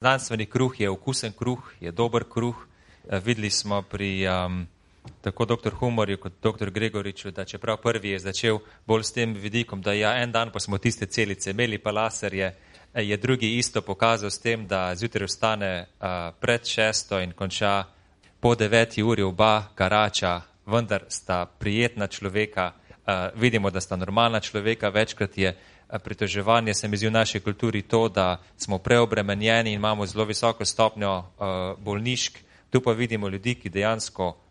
Znanstveni kruh je okusen kruh, je dober kruh. Videli smo pri tako dr. Humorju kot dr. Gregoriču, da čeprav prvi je začel bolj s tem vidikom, da ja, en dan pa smo tiste celice imeli pa laserje, je drugi isto pokazal s tem, da zjutraj vstane pred 6 in konča po 9 uri oba garača, vendar sta prijetna človeka, vidimo, da sta normalna človeka, večkrat je pritoževanje, se mi zdi v naši kulturi to, da smo preobremenjeni in imamo zelo visoko stopnjo bolnišk, tu pa vidimo ljudi, ki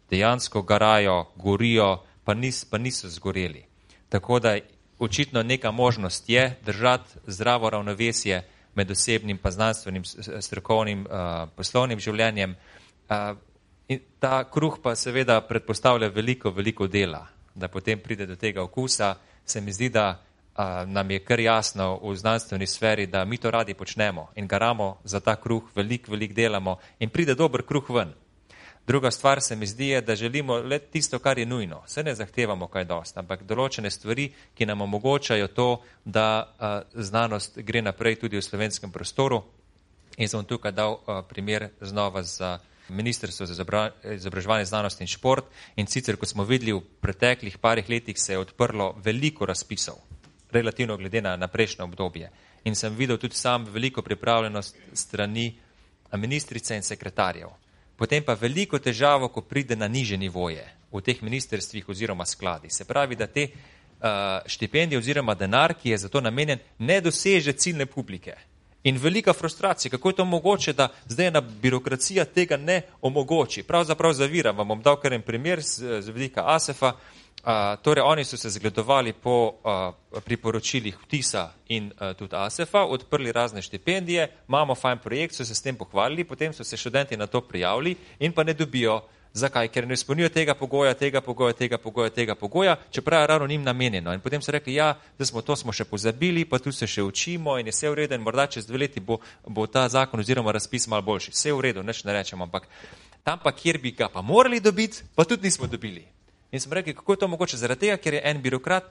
dejansko garajo, gorijo, pa niso zgoreli. Tako da očitno neka možnost je držati zdravo ravnovesje med osebnim pa znanstvenim, strokovnim, poslovnim življenjem. In ta kruh pa seveda predpostavlja veliko dela, da potem pride do tega okusa. Se mi zdi, da nam je kar jasno v znanstveni sferi, da mi to radi počnemo in garamo za ta kruh, veliko delamo in pride dober kruh ven. Druga stvar se mi zdi je, da želimo le tisto, kar je nujno. Vse ne zahtevamo kaj dosti, ampak določene stvari, ki nam omogočajo to, da znanost gre naprej tudi v slovenskem prostoru. In sem tukaj dal primer znova za Ministrstvo za izobraževanje, znanost in šport. In sicer, ko smo videli v preteklih parih letih, se je odprlo veliko razpisov, relativno glede na prejšnje obdobje. In sem videl tudi sam veliko pripravljenost strani ministrice in sekretarjev. Potem pa veliko težavo, ko pride na nižje nivoje v teh ministrstvih oziroma skladi. Se pravi, da te štipendije oziroma denar, ki je za to namenjen, ne doseže ciljne publike. In velika frustracija, kako je to mogoče, da zdaj ena birokracija tega ne omogoči. Pravzaprav zavira, vam bom dal kar en primer z vidika ASEF-a. Torej, oni so se zgledovali po priporočilih vtisa in tudi ASEF-a, odprli razne štipendije, imamo fajn projekt, so se s tem pohvalili, potem so se študenti na to prijavili in pa ne dobijo. Zakaj? Ker ne izpolnjujo tega pogoja, čeprav je ravno njim namenjeno. In potem so rekli, ja, zdaj smo še pozabili, pa tu se še učimo in je vse v redu in morda čez 2 leti bo ta zakon oziroma razpis malo boljši. Vse v redu, nič ne rečem, ampak tam pa, kjer bi ga pa morali dobiti, pa tudi nismo dobili. In smo rekli, kako je to mogoče? Zaradi tega, ker je en birokrat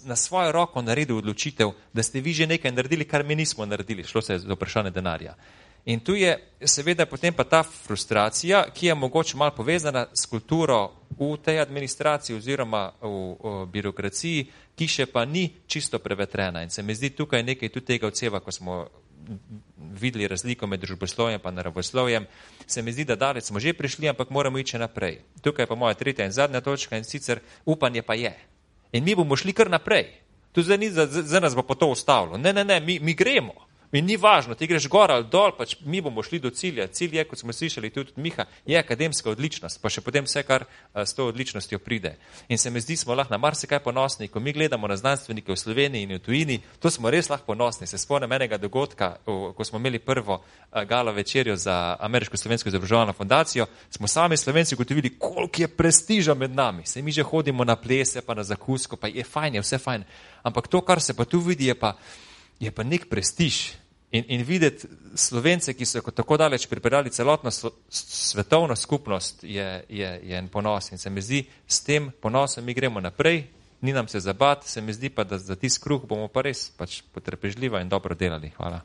na svojo roko naredil odločitev, da ste vi že nekaj naredili, kar mi nismo naredili. Šlo se je za vprašanje denarja. In tu je seveda potem pa ta frustracija, ki je mogoče malo povezana s kulturo v tej administraciji oziroma v birokraciji, ki še pa ni čisto prevetrena. In se mi zdi tukaj nekaj tudi tega odseva, ko smo videli razliko med družboslovjem pa naravoslovjem, se mi zdi, da daleč smo že prišli, ampak moramo iti naprej. Tukaj pa moja tretja in zadnja točka in sicer upanje pa je. In mi bomo šli kar naprej. Tu zdaj nas bo pa to ustavilo. Ne, mi gremo. In ni važno, ti greš gor ali dol, pač mi bomo šli do cilja. Cilj je, kot smo slišali tudi od Miha, je akademska odličnost, pa še potem vse, kar s to odličnostjo pride. In se mi zdi, smo lahko na marsikaj ponosni, ko mi gledamo na znanstvenike v Sloveniji in v tujini, to smo res lahko ponosni. Se spomnim enega dogodka, ko smo imeli prvo gala večerjo za Ameriško-slovensko izobraževalno fundacijo, smo sami Slovenci ugotovili, koliko je prestiža med nami. Se mi že hodimo na plese, pa na zakusko, pa je fajn, je vse fajn. Ampak to, kar se pa tu vidi, je pa nek prestiž. In videti Slovence, ki so tako daleč pripeljali celotno svetovno skupnost, je en ponos. In se mi zdi, s tem ponosom mi gremo naprej, ni nam se zabati, se mi zdi pa, da za tisti kruh bomo pa res potrpežljivo in dobro delali. Hvala.